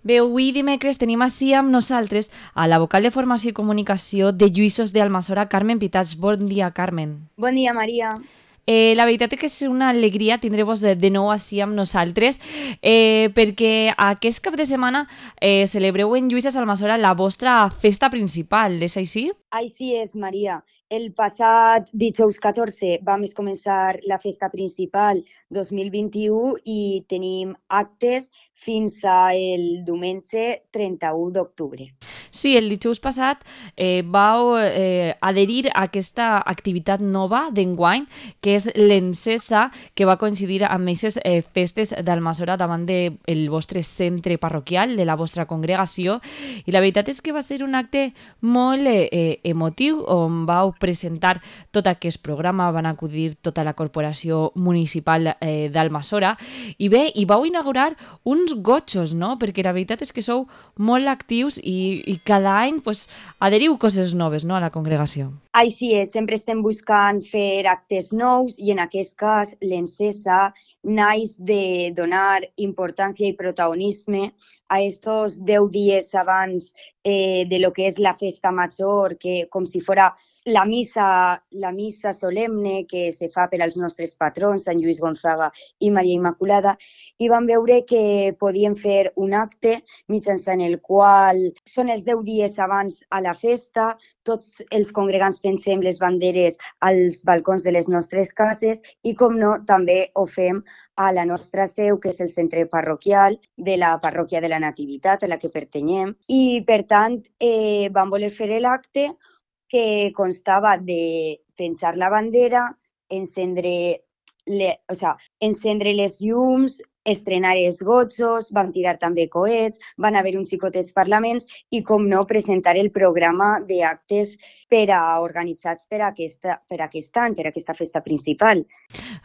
Bé, avui dimecres tenim així amb nosaltres a la vocal de Formació i Comunicació de Lluïssos d'Almassora, Carmen Pitats. Bon dia, Carmen. Bon dia, Maria. La veritat és que és una alegria tindre-vos de nou així amb nosaltres perquè aquest cap de setmana celebreu en Lluïssos d'Almassora la vostra festa principal, és així? Així és, Maria. El passat dijous 14 vam començar la festa principal 2021 i tenim actes fins al diumenge 31 d'octubre. Sí, el dijous passat vau adherir a aquesta activitat nova d'enguany, que és l'Encesa, que va coincidir amb aquestes festes d'Almassora davant del vostre centre parroquial, de la vostra congregació, i la veritat és que va ser un acte molt emotiu, on vau presentar tot aquest programa, van acudir tota la corporació municipal d'Almassora, i bé, i vau inaugurar uns gotxos, no? Perquè la veritat és que sou molt actius i cada any pues, adheriu coses noves, no, a la congregació. Així és, sempre estem buscant fer actes nous i en aquest cas l'Encesa naix de donar importància i protagonisme a estos 10 dies abans de lo que és la festa major, que com si fora la missa solemne que se fa per als nostres patrons, Sant Lluís Gonzaga i Maria Immaculada, i vam veure que podíem fer un acte mitjançant el qual són els 10 dies abans a la festa, tots els congregants pensem les banderes als balcons de les nostres cases i, com no, també ho fem a la nostra seu, que és el centre parroquial de la parròquia de la Nativitat, a la que pertanyem. I, per tant, vam voler fer l'acte que constava de penjar la bandera, encendre les llums, estrenar els gotxos, vam tirar també coets, van haver uns xicotets parlaments i, com no, presentar el programa d'actes organitzats per aquest any, per aquesta festa principal.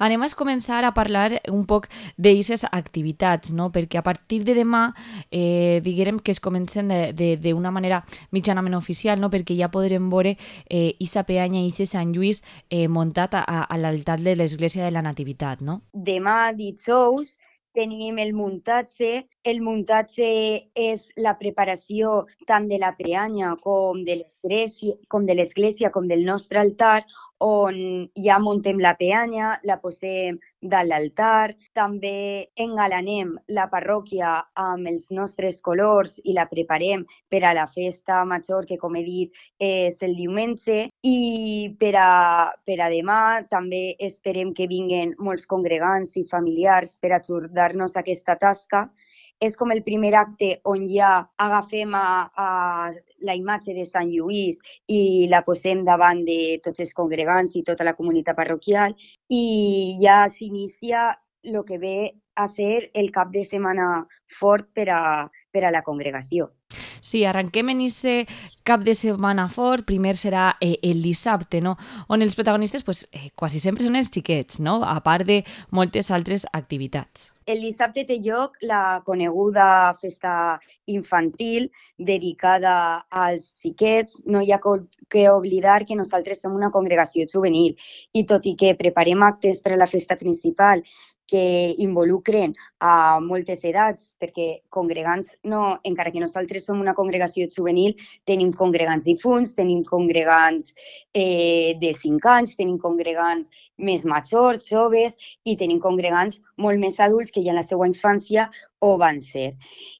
Anem a començar a parlar un poc d'aquestes activitats, no? Perquè a partir de demà diguem que es comencen d'una manera mitjanament oficial, no? Perquè ja podrem veure Isa Peanya i Isa Sant Lluís muntat a l'altar de l'Església de la Nativitat, no? Demà, dijous, tenim el muntatge. El muntatge és la preparació tant de la peanya com de l'església, com del nostre altar, on ja muntem la peanya, la posem dalt l'altar, també engalanem la parròquia amb els nostres colors i la preparem per a la festa major, que, com he dit, és el diumenge, i per a demà també esperem que vinguen molts congregants i familiars per ajudar-nos a aquesta tasca. És com el primer acte on ja agafem a la imatge de Sant Lluís i la posem davant de tots els congregants i tota la comunitat parroquial, i ja s'inicia el que ve a ser el cap de setmana fort per a la congregació. Sí, arrenquem en aquest cap de setmana fort. Primer serà el dissabte, no? On els protagonistes pues, quasi sempre són els xiquets, no? A part de moltes altres activitats. El dissabte té lloc la coneguda festa infantil dedicada als xiquets. No hi ha que oblidar que nosaltres som una congregació juvenil i, tot i que preparem actes per a la festa principal que involucren a moltes edats, perquè congregants, no, encara que nosaltres som una congregació juvenil, tenim congregants difunts, tenim congregants de 5 anys, tenim congregants més majors, joves, i tenim congregants molt més adults que ja en la seva infància ho van ser.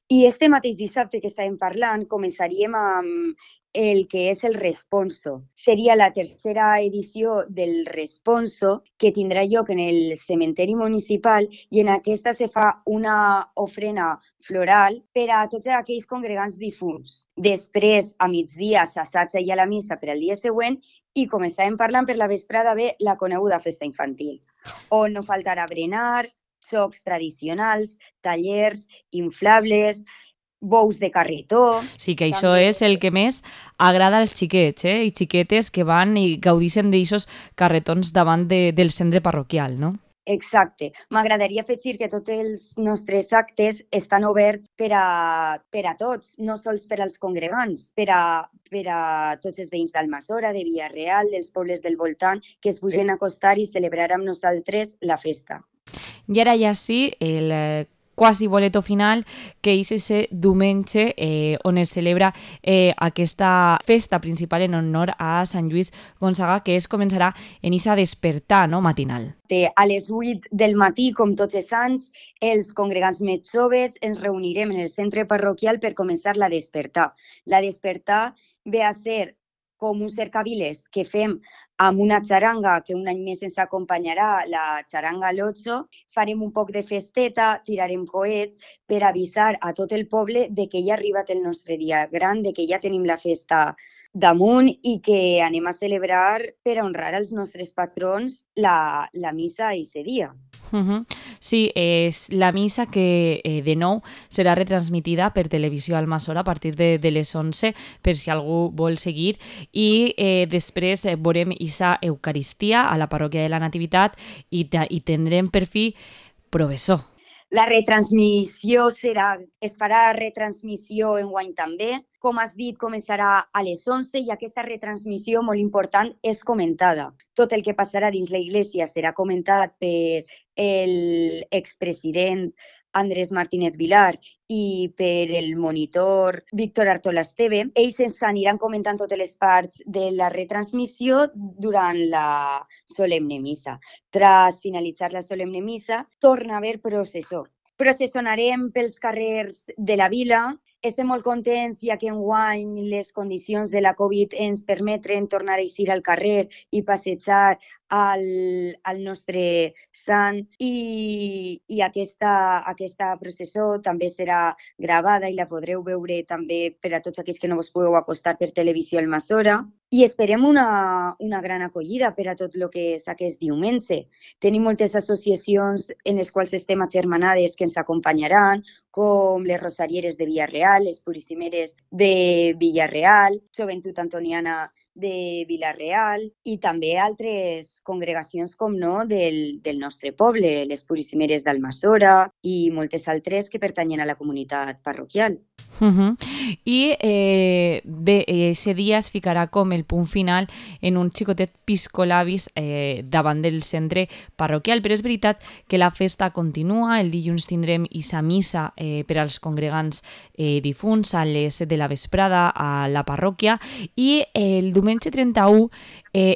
I este mateix dissabte que estàvem parlant, començaríem amb el que és el Responso. Seria la tercera edició del Responso, que tindrà lloc en el cementeri municipal, i en aquesta se fa una ofrena floral per a tots aquells congregants difunts. Després, a migdia, s'assaja ja la missa per al dia següent i, com estàvem parlant, per la vesprada ve la coneguda festa infantil, on no faltarà berenar, jocs tradicionals, tallers, inflables, bous de carretó. Sí, que això és el que més agrada als xiquets i xiquetes que van i gaudixen d'aixos carretons davant del centre parroquial, no? Exacte. M'agradaria afegir que tots els nostres actes estan oberts per a tots, no sols per als congregants, per a tots els veïns d'Almassora, de Vila-real, dels pobles del voltant, que es vulguin acostar i celebrar amb nosaltres la festa. I ara ja sí, el quasi boleto final, que és ese diumenge on es celebra aquesta festa principal en honor a Sant Lluís Gonçaga, que es començarà en esa despertar, no?, matinal. A les 8 del matí, com tots els anys, els congregants més joves ens reunirem en el centre parroquial per començar la despertar. La despertar ve a ser com un cercaviles que fem amb una xaranga que un any més ens acompanyarà, la xaranga Lotso. Farem un poc de festeta, tirarem coets per avisar a tot el poble de que ja ha arribat el nostre dia gran, de que ja tenim la festa damunt i que anem a celebrar per a honrar els nostres patrons la missa aquest dia. Sí, és la missa que de nou serà retransmitida per televisió Almassora a partir de les 11 per si algú vol seguir i després veurem esa Eucaristia a la parròquia de la Nativitat i tindrem per fi professor. La retransmissió es farà retransmissió enguany també. Com has dit, començarà a les 11 i aquesta retransmissió, molt important, és comentada. Tot el que passarà dins la Iglésia serà comentat per l'expresident Andrés Martínez Vilar i per el monitor Víctor Artola Esteve. Ells ens aniran comentant totes les parts de la retransmissió durant la solemne missa. Tras finalitzar la solemne missa, torna a haver processó. Processonarem pels carrers de la vila. Estem molt contents ja que enguany les condicions de la Covid ens permeten tornar a eixir al carrer i passejar al nostre sant i aquesta processó també serà gravada i la podreu veure també per a tots aquells que no vos pugueu acostar per televisió Almassora. I esperem una gran acollida per a tot el que és aquest diumenge. Tenim moltes associacions en les quals estem agermanades que ens acompanyaran, com les Rosarieres de Villarreal, les Puríssimeres de Villarreal, Joventut Antoniana de Vila-real i també altres congregacions, com no, del nostre poble, les Puríssimeres d'Almassora i moltes altres que pertanyen a la comunitat parroquial. I bé, ese dia es ficarà com el punt final en un xicotet piscolabis davant del centre parroquial, però és veritat que la festa continua. El dilluns tindrem esa missa per als congregants difunts a les 7 de la vesprada a la parròquia i el diumenge 31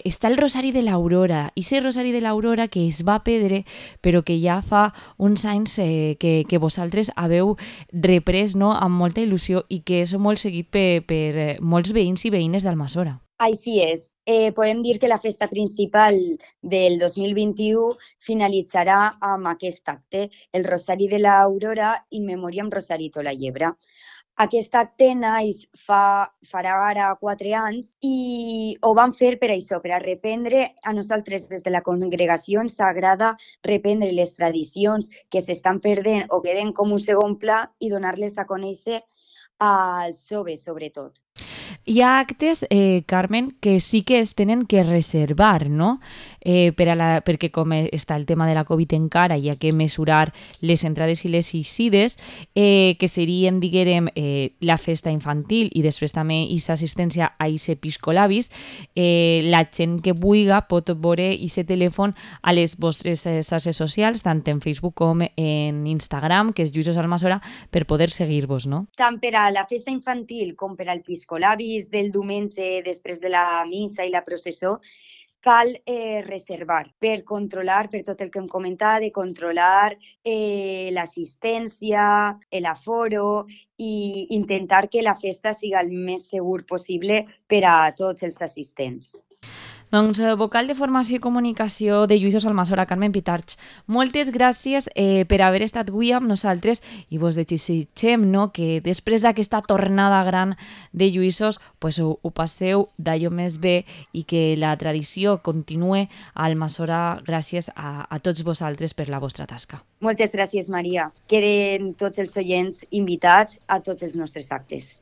està el Rosari de l'Aurora, i ese Rosari de l'Aurora que es va perdre però que ja fa uns anys que vosaltres haveu reprès, no?, amb molta il·lusió i que és molt seguit per molts veïns i veïnes d'Almassora. Així és. Podem dir que la festa principal del 2021 finalitzarà amb aquest acte, el Rosari de l'Aurora in memoriam Rosarito la Llebre. Aquest acte farà ara 4 anys i ho vam fer per això, per a reprendre. A nosaltres des de la congregació ens agrada reprendre les tradicions que s'estan perdent o queden com un segon pla i donar-les a conèixer als joves, sobretot. Hi ha actes, Carmen, que sí que es tenen que reservar, no? Perquè com està el tema de la Covid encara, hi ha que mesurar les entrades i les eixides, que serien, diguem, la festa infantil i després també aquesta assistència a aquest piscolabis. La gent que vulgui pot veure aquest telèfon a les vostres xarxes socials, tant en Facebook com en Instagram, que és Lluïsos Almassora, per poder seguir-vos, no? Tant per a la festa infantil com per al piscolabis del diumenge després de la missa i la processó, cal reservar per controlar, per tot el que hem comentat, de controlar l'assistència, l'aforo i intentar que la festa sigui el més segur possible per a tots els assistents. Doncs vocal de formació i comunicació de Lluïsos Almassora, Carmen Pitarch, moltes gràcies per haver estat avui amb nosaltres i vos desitgem, no?, que després d'aquesta tornada gran de Lluïsos pues, ho passeu d'allò més bé i que la tradició continue a Almassora gràcies a tots vosaltres per la vostra tasca. Moltes gràcies, Maria. Queden tots els oients invitats a tots els nostres actes.